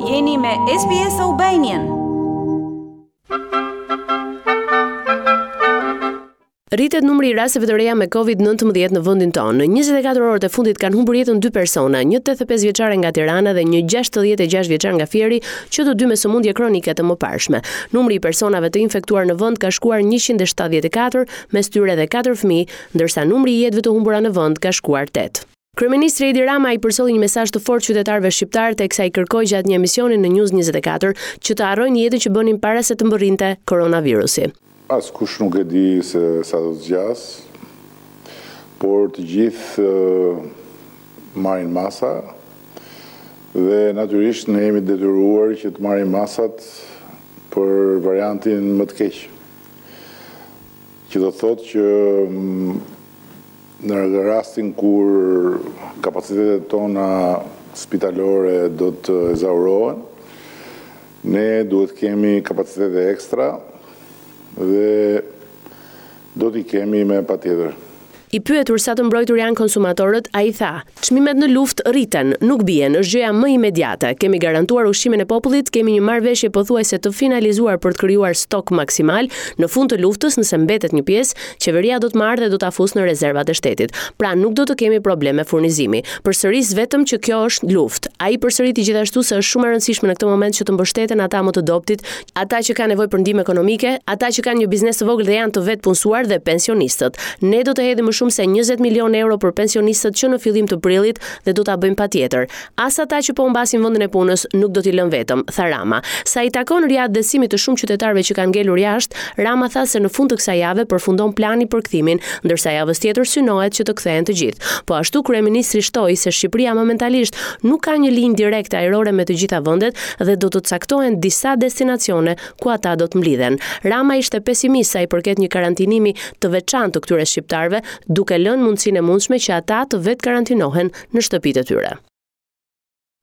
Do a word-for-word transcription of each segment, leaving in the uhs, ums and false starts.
Jeni me S B S Albanian. Rritet numri i rasteve të reja me Covid nëntëmbëdhjetë në vendin tonë. Në njëzet e katër orët e fundit kanë humbur jetën dy persona, një tetëdhjetë e pesë vjeçare nga Tirana dhe një gjashtëdhjetë e gjashtë vjeçar nga Fieri, që të dy me sëmundje kronike të mëparshme. Numri i personave të infektuar në vend ka shkuar njëqind e shtatëdhjetë e katër, mes tyre edhe katër fëmijë, ndërsa numri i jetëve të humbura në vend ka shkuar tetë. Kryeministri Edi Rama i përcolli një mesazh të fortë qytetarëve shqiptar teksa i kërkoi gjatë një emisioni në News njëzet e katër që të harrojnë jetën që bënin para se të mbërrinte koronavirusi. Askush nuk e di se sa do të zgjas, por të gjithë marrin masa dhe natyrisht ne jemi detyruar që të marrim masat për variantin më të keq. Që do të thotë që në rastin kur kapacitetet tona spitalore do të ezaurohen, ne duhet kemi kapacitete ekstra dhe do t'i kemi me patjetër. I pyetur sa të mbrojtur janë konsumatorët, ai tha: "Çmimet në luftë rriten, nuk bien, është gjëja më imediate. Kemi garantuar ushqimin e popullit, kemi një marrëveshje pothuajse të finalizuar për të krijuar stok maksimal. Në fund të luftës, nëse mbetet një pjesë, qeveria do të marrë dhe do ta fusë në rezervat e shtetit. Pra nuk do të kemi probleme furnizimi. Përsëris vetëm që kjo është luftë." Ai përsëriti gjithashtu se është shumë e rëndësishme në këtë moment që të mbështeten ata më të dobtit, ata që kanë nevojë për ndihmë ekonomike, ata që kanë një biznes të vogël dhe janë të vetëpunësuar dhe pensionistët. "Ne do të hedhim më shumë se njëzet milion euro për pensionistët që në fillim të prillit dhe do ta bëjmë patjetër. As ata që po humbasin vendin e punës nuk do t'i lënë vetëm", tha Rama. Sa i takon riatdhesimit të shumë qytetarëve që kanë ngelur jashtë, Rama tha se në fund të kësaj jave përfundon plani për kthimin, ndërsa javës tjetër synohet që të kthehen të gjithë. Po ashtu, kryeministri shtoi se Shqipëria momentalisht nuk ka një linjë direkte ajrore me të gjitha vendet dhe do të caktohen disa destinacione ku ata do të mblidhen. Rama ishte pesimist sa i përket një karantinimi të veçantë të këtyre shqiptarëve, duke lënë mundësinë e mundshme që ata të vetë karantinohen në shtëpitë e tyre.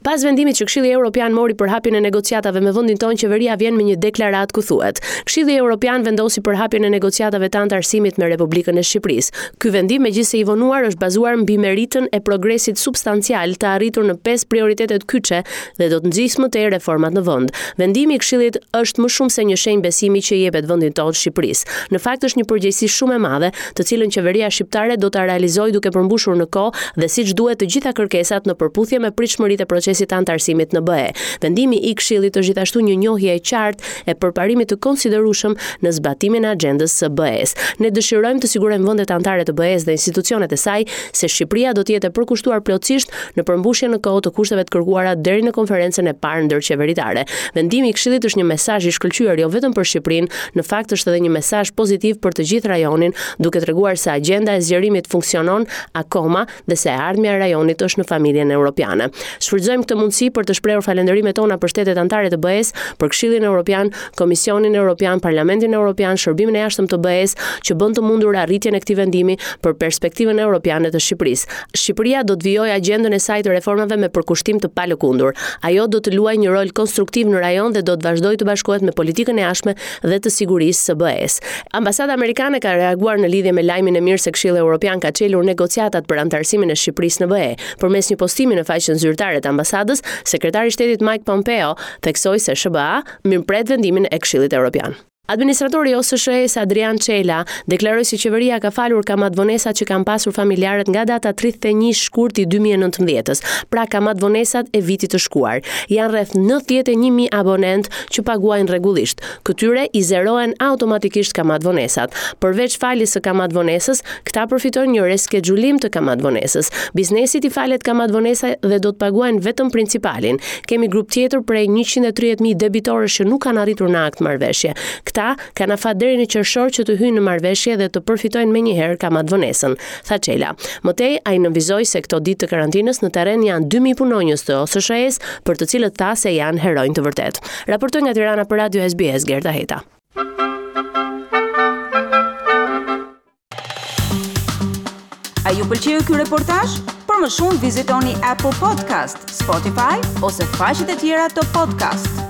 Pas vendimit që Këshilli Evropian mori për hapjen e negociatave me vendin tonë, qeveria vjen me një deklaratë ku thuhet: "Këshilli Evropian vendosi për hapjen e negociatave të anëtarësimit me Republikën e Shqipërisë. Ky vendim, megjithëse i vonuar, është bazuar mbi meritën e progresit substancial të arritur në pesë prioritetet kyçe dhe do të nxisë më tej reformat në vend. Vendimi i Këshillit është më shumë se një shenjë besimi që i jepet vendit tonë Shqipërisë. Në fakt është një përgjegjësi shumë e madhe, të cilën qeveria shqiptare do ta realizojë duke përmbushur në kohë dhe siç duhet të gjitha kërkesat në përputhje me pritshmëritë e procesit të anëtarësimit në B E. Vendimi i Këshillit është gjithashtu një njohje e qartë e përparimit të konsiderueshëm në zbatimin e agjendës së B E-s. Ne dëshirojmë të sigurojmë vendet anëtare të B E-s dhe institucionet e saj se Shqipëria do të jetë e përkushtuar plotësisht në përmbushjen në kohë të kushteve të kërkuara deri në konferencën e parë ndërqeveritare. Vendimi i Këshillit është një mesazh i shkëlqyer jo vetëm për Shqipërinë, në fakt është edhe një mesazh pozitiv për të gjithë rajonin, duke treguar se agjenda e zgjerimit funksionon akoma dhe se e ardhmja e rajonit është në familjen europiane. Shfrytëzojmë këtë mundësi për të shprehur falenderimet tona për shtetet anëtare të B E-s, për Këshillin Evropian, Komisionin Evropian, Parlamentin Evropian, Shërbimin e Jashtëm të B E-s, që bën të mundur arritjen e këtij vendimi për perspektivën europiane të Shqipërisë. Shqipëria do të vijojë agjendën e saj të reformave me përkushtim të palëkundur. Ajo do të luajë një rol konstruktiv në rajon dhe do të vazhdojë të bashkohet me politikën e jashtme dhe të sigurisë së B E-s" Ambasada amerikane ka reaguar në lidhje me lajmin e mirë se Këshilli Evropian ka çelur negociatat për anëtarësimin e Shqipërisë në B E. Përmes një postimi në faqen zyrtare të ambasadës, sekretari i shtetit Mike Pompeo theksoi se S H B A mirëpret vendimin e Këshillit Evropian. Administratori i O S S H E-s Adrian Çela deklaroi se qeveria ka falur kamatvonesat që kanë pasur familjarët nga data tridhjetë e një shkurt i dy mijë e nëntëmbëdhjetës, pra kamatvonesat e vitit të shkuar. Janë rreth nëntëdhjetë e një mijë abonent që paguajnë rregullisht. Këtyre i zerohen automatikisht kamatvonesat. Përveç faljes së kamatvonesës, këta përfitojnë një reskedjulim të kamatvonesës. Biznesit i falet kamatvonesa dhe do të paguajnë vetëm principalin. Kemi grup tjetër prej njëqind e tridhjetë mijë debitorësh që nuk kanë arritur në akt marrëveshje. Këta kanë afat deri në qershor që të hyjnë në marrëveshje dhe të përfitojnë menjëherë kamatvonesën, tha Çela. Më tej, ai nënvizoi se këto ditë të karantinës në terren janë dy mijë punonjës të O S S H E-s, për të cilët tha se janë heronj të vërtetë. Raportoi nga Tirana për Radio S B S Gerta Heta. A ju pëlqeu ky reportazh? Për më shumë vizitoni Apple Podcast, Spotify ose faqet e tjera të podcast.